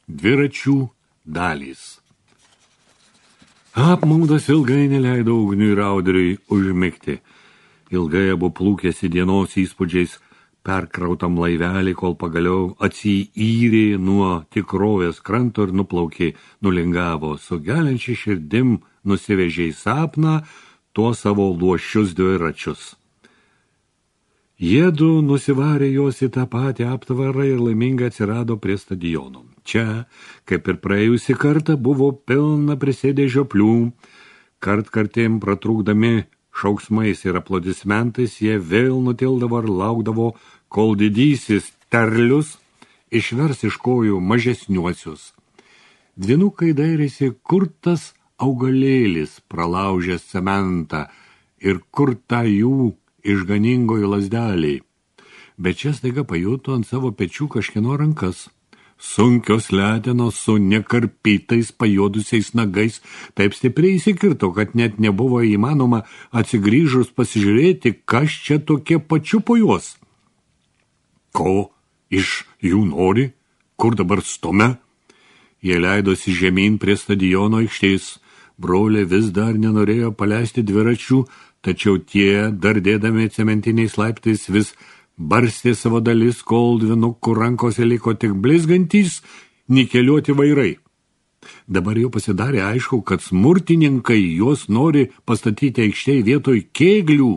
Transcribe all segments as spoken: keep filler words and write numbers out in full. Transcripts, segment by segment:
Dviračių dalys. Apmaudas ilgai neleido Ugniui ir Audriui užmigti. Ilgai abu plūkėsi dienos įspūdžiais perkrautam laivelį, kol pagaliau atsiyrė nuo tikrovės kranto ir nuplaukė, nulingavo. Su geliančia širdim nusivežė į sapną tuos savo luošius dviračius. Jiedu nusivarė juos į tą patį aptvarą ir laimingai atsirado prie stadiono. Čia, kaip ir praėjusį kartą, buvo pilna prisėdę žioplių. Kartkartėm pratrūkdami šauksmais ir aplodismentais, jie vėl nutildavo ir laukdavo, kol didysis terlius išvers iš kojų mažesniuosius. Dvynukai dairėsi, kur tas augalėlis pralaužęs cementą ir kur ta jų išganingoji lazdeliai. Bet čia staiga pajuto ant savo pečių kažkieno rankas. Sunkios letenos su nekarpytais pajuodusiais nagais taip stipriai įsikirto, kad net nebuvo įmanoma atsigrįžus pasižiūrėti, kas čia tokie pačiupo juos. Ko iš jų nori? Kur dabar stumia? Jie leidosi žemyn prie stadiono aikštės. Broliai vis dar nenorėjo paleisti dviračių, tačiau tie, dardėdami cementiniais laiptais, vis barstė savo dalis, kol dvynukų rankose liko tik blizgantys nikeliuoti vairai. Dabar jau pasidarė aišku, kad smurtininkai juos nori pastatyti aikštėj vietoj kėglių,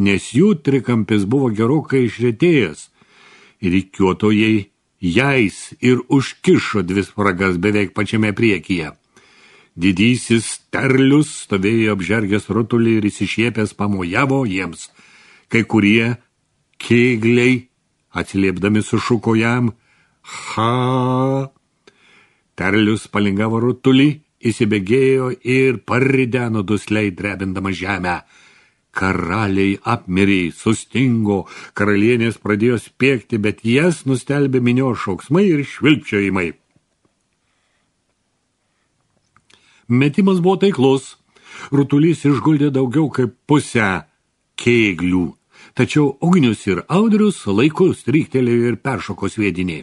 nes jų trikampis buvo gerokai išretėjęs. Rikiuotojai jais ir užkišo dvi spragas beveik pačiame priekyje. Didysis terlius stovėjo apžergęs rutulį ir įsišiepęs pamojavo jiems. Kai kurie kėgliai atsiliepdami sušuko jam ha. Terlius palingavo rutulį, įsibėgėjo ir parideno dusliai drebindama žemę. Karaliai apmirė, sustingo, karalienės pradėjo spiegti, bet jas nustelbė minios šauksmai ir švilpčiojimai. Metimas buvo taiklus. Rutulys išguldė daugiau kaip pusę kėglių. Tačiau Ugnius ir Audrius laiku stryktelėjo ir peršoko sviedinį.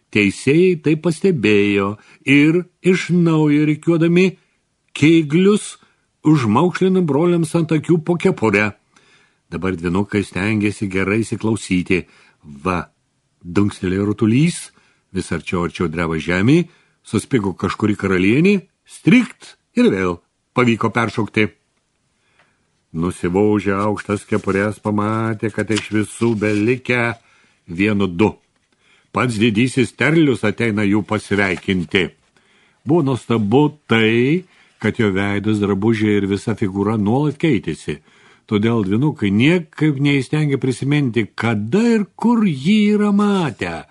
Teisėjai tai pastebėjo ir iš naujo rikiuodami kėglius užmaukšlino broliams ant akių po kepurę. Dabar dvynukai stengėsi gerai įsiklausyti. Va, dunkstelėjo rutulys, vis arčiau arčiau dreba žemė, suspigo kažkuri karalienė, strikt ir vėl pavyko peršokti. Nusivaužę aukštas kepurės pamatė, kad iš visų belikę vienu du. Pats didysis terlius ateina jų pasveikinti. Buvo nuostabu tai, kad jo veidas, drabužiai ir visa figūra nuolat keitėsi. Todėl dvynukai niekaip neįstengė prisiminti, kada ir kur jį yra matę.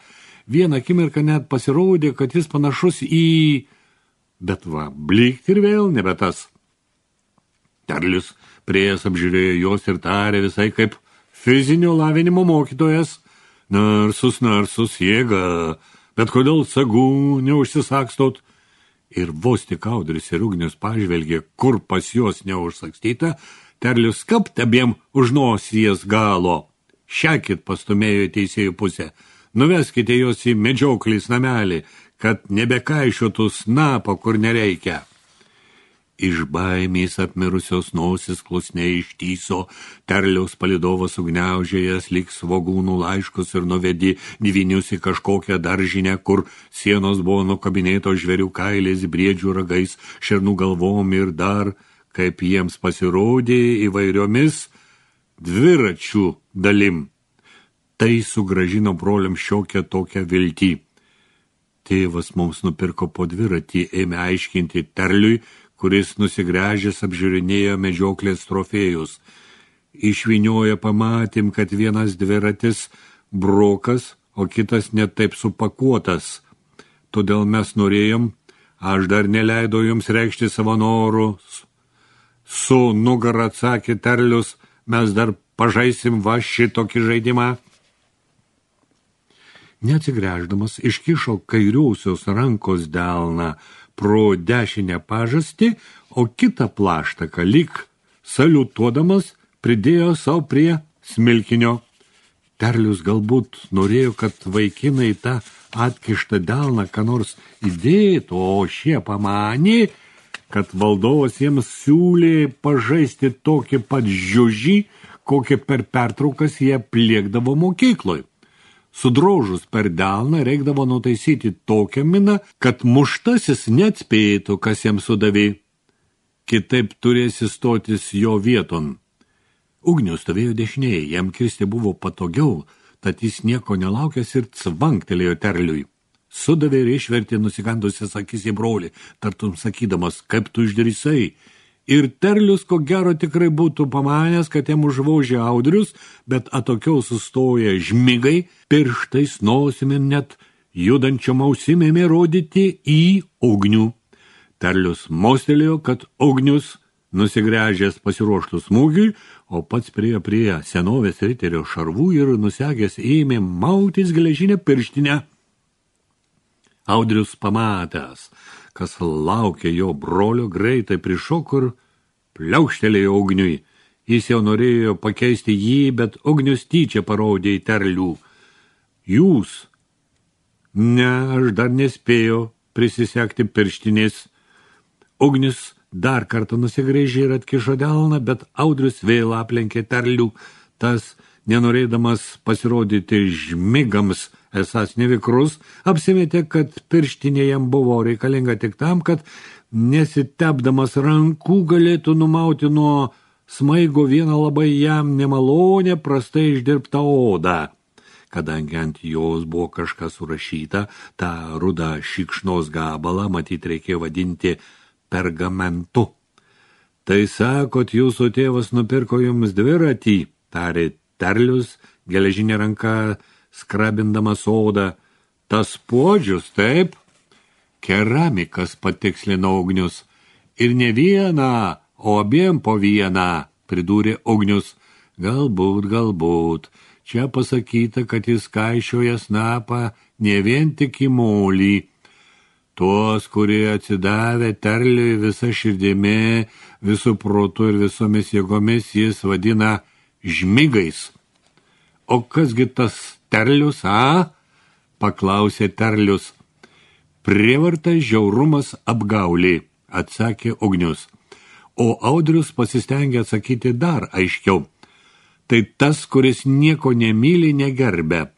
Vieną akimirką net pasirodė, kad jis panašus į... Bet va, blykt ir vėl nebe tas. Terlius priejas apžiūrėjo jos ir tarė visai kaip fizinio lavinimo mokytojas. Narsus, narsus, jėga, bet kodėl sagų neužsisakstot? Ir vos tik Audrius ir Ugnius pažvelgė, kur pas juos neužsakstyta, Terlius kapt abiem už nosies galo. Šiakit pastumėjo į teisėjų pusę. Nuveskite jos į medžioklės namelį, kad nebekaišiotų snapą, kur nereikia. Iš baimės apmirusios nosis klusniai ištyso, Terliaus palidovas ugniaužėjas lyg svogūnų laiškus ir nuvedė dvynius į kažkokią daržinę, kur sienos buvo nukabinėtos žvėrių kailiais, briedžių ragais, šernų galvom ir dar, kaip jiems pasirodė, įvairiomis dviračių dalim. Tai sugrąžino broliam šiokią tokią viltį. Tėvas mums nupirko po dviratį, ėmė aiškinti Terliui, kuris nusigręžęs apžiūrinėjo medžioklės trofėjus. Išvynioja pamatėm, kad vienas dviratis brokas, o kitas net taip supakuotas. Todėl mes norėjom, aš dar neleidau jums reikšti savo norus. Su nugara atsakė Terlius, mes dar pažaisim va šitokį žaidimą. Neatsigręždamas iškišo kairiausios rankos delną pro dešinę pažastį, o kitą plaštaką lyg saliutuodamas pridėjo savo prie smilkinio. Terlius galbūt norėjo, kad vaikinai tą atkištą delną, ką nors įdėtų, o šie pamanė, kad valdovas jiems siūlė pažaisti tokį pat žiužį, kokį per pertraukas jie pliekdavo mokykloj. Sudrožus per delną reikdavo nutaisyti tokią miną, kad muštasis neatspėtų, kas jam sudavė. Kitaip turėsi stotis jo vieton. Ugnius stovėjo dešinėje, jam kirsti buvo patogiau, tad jis nieko nelaukęs ir cvanktelėjo Terliui. Sudavė ir išvertė nusikandusias akis į brolį, tartum sakydamas, kaip tu išdrįsai. Ir Terlius, ko gero, tikrai būtų pamanęs, kad jam užvožė Audrius, bet atokiau sustoję žmigai, pirštais, nosimi net judančiom ausim ėmė rodyti į Ugnių. Terlius mostelėjo, kad Ugnius, nusigręžęs pasiruoštų smūgiui, o pats priejo prie senovės riterio šarvų ir nusegęs ėmė mautis geležinę pirštinę. Audrius pamatęs, kas laukė jo brolio, greitai prišoko ir pliaukštelėjo Ugniui. Jis jau norėjo pakeisti jį, bet Ugnius tyčia parodė į Terlių. Jūs? Ne, aš dar nespėjau prisisekti pirštinės. Ugnius dar kartą nusigręžė ir atkišo delną, bet Audrius vėl aplenkė Terlių. Tas, nenorėdamas pasirodyti žmigams, esas nevikrus, apsimetė, kad pirštinė jam buvo reikalinga tik tam, kad nesitepdamas rankų galėtų numauti nuo smaigo vieną labai jam nemalonę, prastai išdirbtą odą. Kadangi ant jos buvo kažkas surašyta, tą rudą šikšnos gabalą matyt reikėjo vadinti pergamentu. Tai sakot, jūsų tėvas nupirko jums dviratį, tarė Terlius, geležinė ranka skrabindamas odą. Tas puodžius, taip? Keramikas, patikslino Ugnius. Ir ne vieną, o abiem po vieną, pridūrė Ugnius. Galbūt, galbūt. Čia pasakyta, kad jis kaišioja snapą ne vien tik į molį. Tuos, kurie atsidavė Terliui visą širdimi, visų protų ir visomis jėgomis, jis vadina žmigais. O kasgi tas Terlius, a? Paklausė Terlius. Prievarta, žiaurumas, apgaulė, atsakė Ugnius. O Audrius pasistengė atsakyti dar aiškiau. Tai tas, kuris nieko nemyli, negerbė.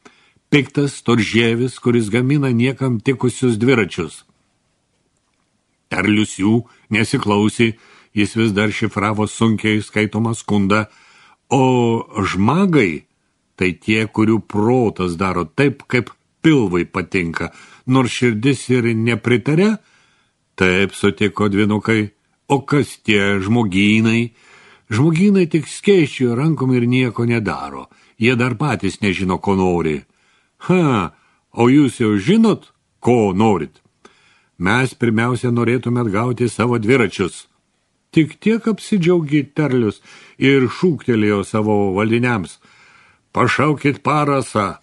Piktas storžievis, kuris gamina niekam tikusius dviračius. Terlius jų nesiklausė, jis vis dar šifravo sunkiai skaitomą skundą, o žmagai tai tie, kurių protas daro taip, kaip pilvai patinka, nors širdis ir nepritarė. Taip, sutiko dvinukai. O kas tie žmogynai? Žmogynai tik skėsčioja rankom ir nieko nedaro. Jie dar patys nežino, ko nori. Ha, o jūs jau žinot, ko norit? Mes pirmiausia norėtume atgauti savo dviračius. Tik tiek apsidžiaugė Terlius ir šūktelėjo savo valdiniams. Pašaukit Parasą.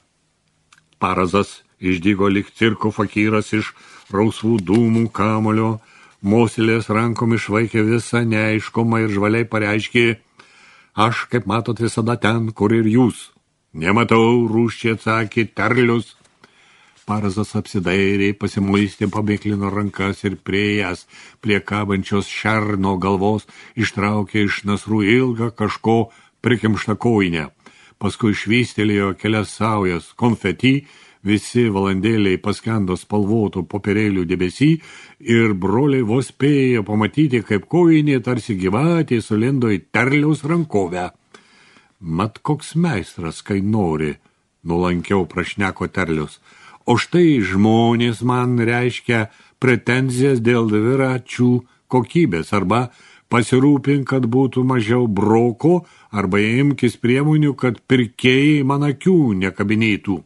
Parazas išdygo lyg cirko fakyras iš rausvų dūmų kamulio, mosilės rankom išvaikė visą neaiškumą ir žvaliai pareiškė, aš, kaip matot, visada ten, kur ir jūs. Nematau, rūščiai atsakė Terlius. Parazas apsidairė, pasimuistė, pabėklino rankas ir priejas prie kabančios šerno galvos ištraukė iš nasrų ilgą kažko prikimštą kojinę. Paskui švystelėjo kelias saujas konfeti, visi valandėliai paskendo spalvotų popierėlių debesy ir broliai vos spėjo pamatyti, kaip kojinė tarsi gyvatė sulindo į Terliaus rankovę. Mat koks meistras, kai nori, nuolankiau prašneko Terlius. O štai žmonės man reiškia pretenzijas dėl dviračių kokybės arba pasirūpink, kad būtų mažiau broko, arba imkis priemonių, kad pirkėjai man akių nekabinėtų.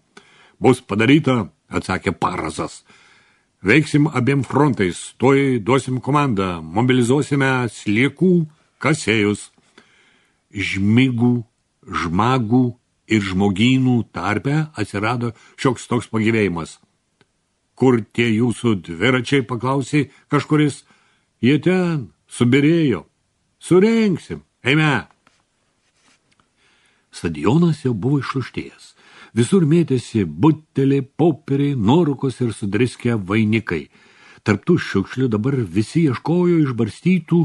Bus padaryta, atsakė Parazas. Veiksim abiem frontais, toj duosim komandą, mobilizuosime sliekų kasėjus. Žmigų, žmagų ir žmogynų tarpe atsirado šioks toks pagyvėjimas. Kur tie jūsų dviračiai, paklausė kažkuris? Jie ten, subirėjo. Surengsim, eime. Stadionas jau buvo išluštėjęs. Visur mėtėsi buteliai, popieriai, nuorūkos ir sudriskę vainikai. Tarp tų šiukšlių dabar visi ieškojo išbarstytų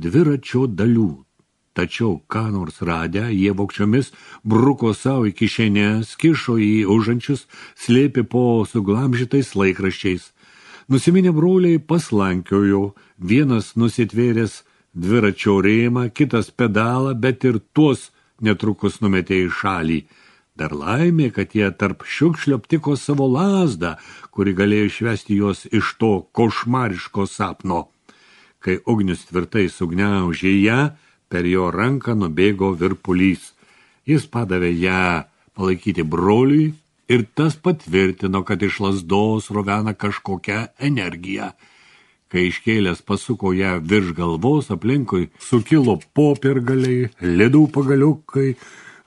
dviračio dalių. Tačiau, ką nors radę, jie vogčiomis bruko savo į kišenės, kišo į užančius, slėpė po suglamžytais laikraščiais. Nusiminę broliai paslankiojo, vienas nusitvėręs dviračio rėmą, kitas pedalą, bet ir tuos netrukus numetė į šalį. Dar laimė, kad jie tarp šiukšlių aptiko savo lazdą, kuri galėjo išvesti juos iš to košmariško sapno. Kai ugnius tvirtai sugniaužė ją, per jo ranką nubėgo virpulys. Jis padavė ją palaikyti broliui ir tas patvirtino, kad iš lazdos rovena kažkokią energiją. Kai iškėlęs pasuko ją virš galvos, aplinkui sukilo popiergaliai, ledų pagaliukai,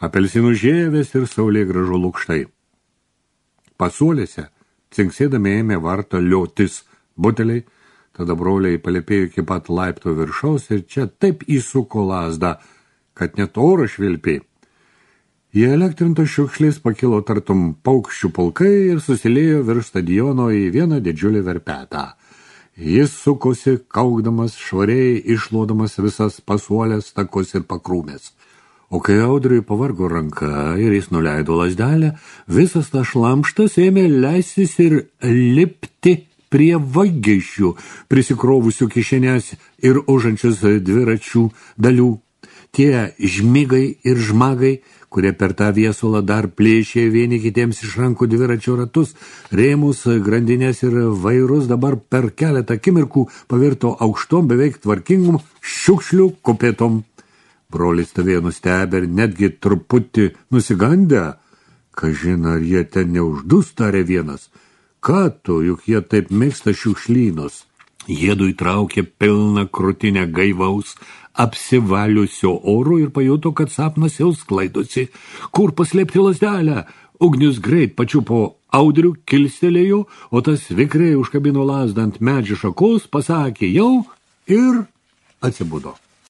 apelsinų žievės ir saulėgrąžų lukštai. Pasuolėse, cinksėdami ėmė vartą liotis buteliai, tada broliai palėpėjo iki pat laipto viršaus ir čia taip įsuko lazdą, kad net oras švilpė. Jie elektrintos šiukšlės pakilo tartum paukščių pulkai ir susilėjo virš stadiono į vieną didžiulį verpetą. Jis sukosi, kaukdamas, švariai išlodamas visas pasuolės, takus ir pakrūmės. O kai Audriui pavargo ranka ir jis nuleido lazdelę, visas tas šlamštas ėmė leistis ir lipti prie vagėšių, prisikrovusių kišenės ir užančius dviračių dalių. Tie žmigai ir žmagai, kurie per tą viesulą dar plėšė vieni kitiems iš rankų dviračio ratus, rėmus, grandinės ir vairus, dabar per keletą akimirkų pavirto aukštom, beveik tvarkingom šiukšlių kupėtom. Brolis stovėjo nustebę ir netgi truputį nusigandę. Kažin, ar jie ten neuždus, tarė vienas. Ką tu, juk jie taip mėgsta šiukšlynus. Jiedu įtraukė pilną krūtinę gaivaus, apsivaliusio oro ir pajuto, kad sapnas jau sklaidosi. Kur paslėpti lazdelę? Ugnius greit pačiupo Audrių, kilstelėjo, o tas vikriai užkabino lazdą ant medžio šakos, pasakė jau ir atsibudo.